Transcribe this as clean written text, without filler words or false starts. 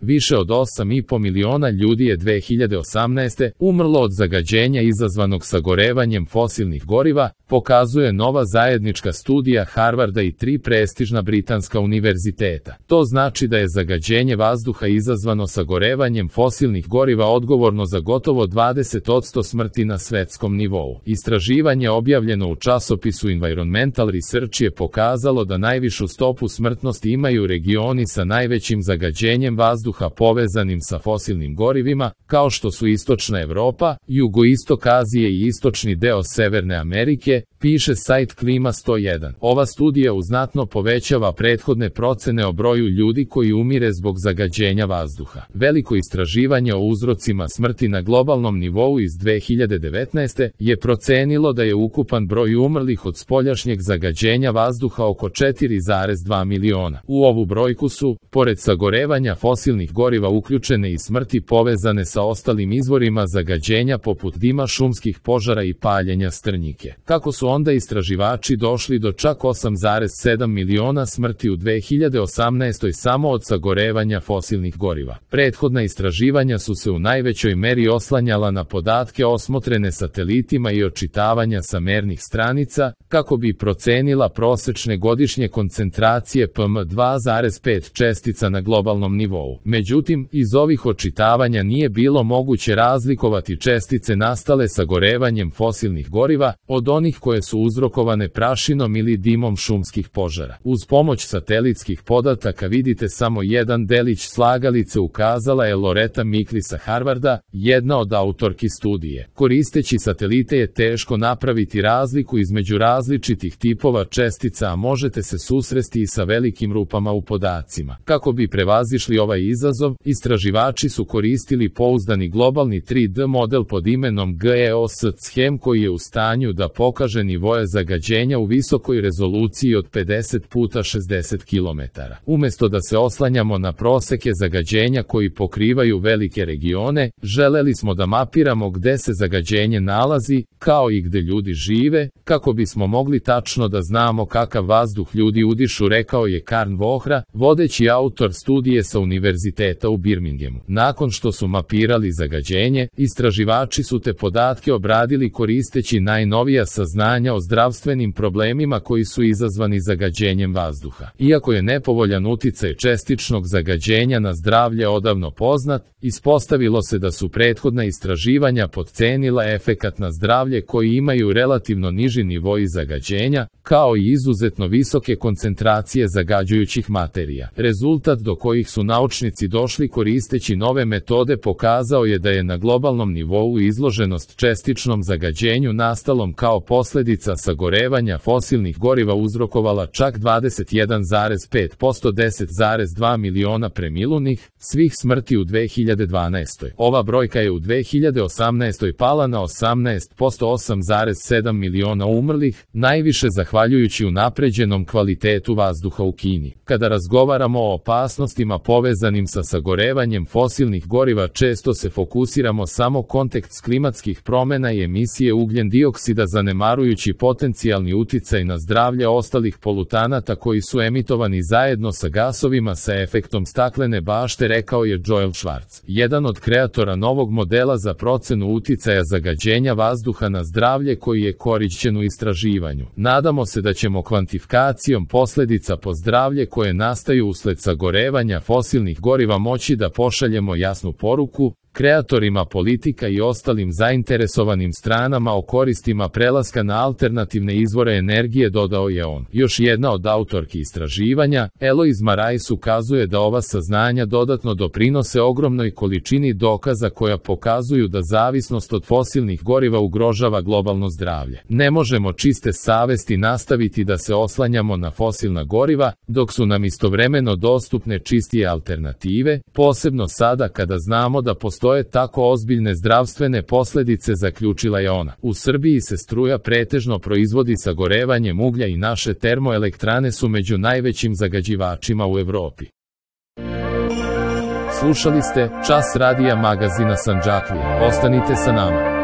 Više od 8,5 miliona ljudi je 2018. umrlo od zagađenja izazvanog sagorevanjem fosilnih goriva, pokazuje nova zajednička studija Harvarda i 3 prestižna britanska univerziteta. To znači da je zagađenje vazduha izazvano sagorevanjem fosilnih goriva odgovorno za gotovo 20% smrti na svetskom nivou. Istraživanje objavljeno u časopisu Environmental Research je pokazalo da najvišu stopu smrtnosti imaju regioni sa najvećim zagađenjem vazduha povezanim sa fosilnim gorivima, kao što su Istočna Evropa, Jugoistok Azije i istočni deo Severne Amerike, piše sajt Klima 101. Ova studija znatno povećava prethodne procene o broju ljudi koji umire zbog zagađenja vazduha. Veliko istraživanje o uzrocima smrti na globalnom nivou iz 2019. je procenilo da je ukupan broj umrlih od spoljašnjeg zagađenja vazduha oko 4,2 miliona. U ovu brojku su, pored sagorevanja fosilnih goriva, uključene i smrti povezane sa ostalim izvorima zagađenja poput dima šumskih požara i paljenja strnjike. Kako su onda istraživači došli do čak 8,7 miliona smrti u 2018. samo od sagorevanja fosilnih goriva? Prethodna istraživanja su se u najvećoj meri oslanjala na podatke osmotrene satelitima i očitavanja sa mernih stranica, kako bi procenila prosečne godišnje koncentracije PM2,5 čestica na globalnom nivou. Međutim, iz ovih očitavanja nije bilo moguće razlikovati čestice nastale sagorevanjem fosilnih goriva od onih koje su uzrokovane prašinom ili dimom šumskih požara. Uz pomoć satelitskih podataka vidite samo jedan delić slagalice, ukazala je Loretta Mikli sa Harvarda, jedna od autorki studije. Koristeći satelite je teško napraviti razliku između različitih tipova čestica, a možete se susresti i sa velikim rupama u podacima. Kako bi prevazišli ovaj izazov, istraživači su koristili pouzdani globalni 3D model pod imenom GEOS-CHEM koji je u stanju da pokaže nivoje zagađenja u visokoj rezoluciji od 50 puta 60 km. Umesto da se oslanjamo na proseke zagađenja koji pokrivaju velike regione, želeli smo da mapiramo gde se zagađenje nalazi, kao i gde ljudi žive, kako bismo mogli tačno da znamo kakav vazduh ljudi udišu, rekao je Karn Vohra, vodeći autor studije sa Univerziteta u Birminghamu. Nakon što su mapirali zagađenje, istraživači su te podatke obradili koristeći najnovija saznanja o zdravstvenim problemima koji su izazvani zagađenjem vazduha. Iako je nepovoljan uticaj čestičnog zagađenja na zdravlje odavno poznat, ispostavilo se da su prethodna istraživanja potcenila efekat na zdravlje koji imaju relativno niži nivoi zagađenja, kao i izuzetno visoke koncentracije zagađujućih materija. Rezultat do kojih su naučnici došli koristeći nove metode pokazao je da je na globalnom nivou izloženost čestičnom zagađenju nastalom kao posljedica sagorevanja fosilnih goriva uzrokovala čak 21,5% 10,2 miliona preminulih svih smrti u 2012. Ova brojka je u 2018. pala na 18% 8,7 miliona umrlih, najviše zahvaljujući unapređenom kvalitetu vazduha u Kini. Kada razgovaramo o opasnostima povezanim sa sagorevanjem fosilnih goriva, često se fokusiramo samo kontekst klimatskih promjena i emisije ugljen dioksida, zanemarujući potencijalni uticaj na zdravlje ostalih polutanata koji su emitovani zajedno sa gasovima sa efektom staklene bašte, rekao je Joel Schwartz, jedan od kreatora novog modela za procenu uticaja zagađenja vazduha na zdravlje koji je korišćen u istraživanju. Nadamo se da ćemo kvantifikacijom posljedica po zdravlje koje nastaju usled sagorevanja fosilnih goriva moći da pošaljemo jasnu poruku kreatorima politika i ostalim zainteresovanim stranama o koristima prelaska na alternativne izvore energije, dodao je on. Još jedna od autorki istraživanja, Eloise Marais, ukazuje da ova saznanja dodatno doprinose ogromnoj količini dokaza koja pokazuju da zavisnost od fosilnih goriva ugrožava globalno zdravlje. Ne možemo čiste savesti nastaviti da se oslanjamo na fosilna goriva, dok su nam istovremeno dostupne čistije alternative, posebno sada kada znamo da postoje tako ozbiljne zdravstvene posljedice, zaključila je ona. U Srbiji se struja pretežno proizvodi sagorevanjem uglja i naše termoelektrane su među najvećim zagađivačima u Evropi. Slušali ste Čas radija magazina Sandžaklija. Ostanite sa nama.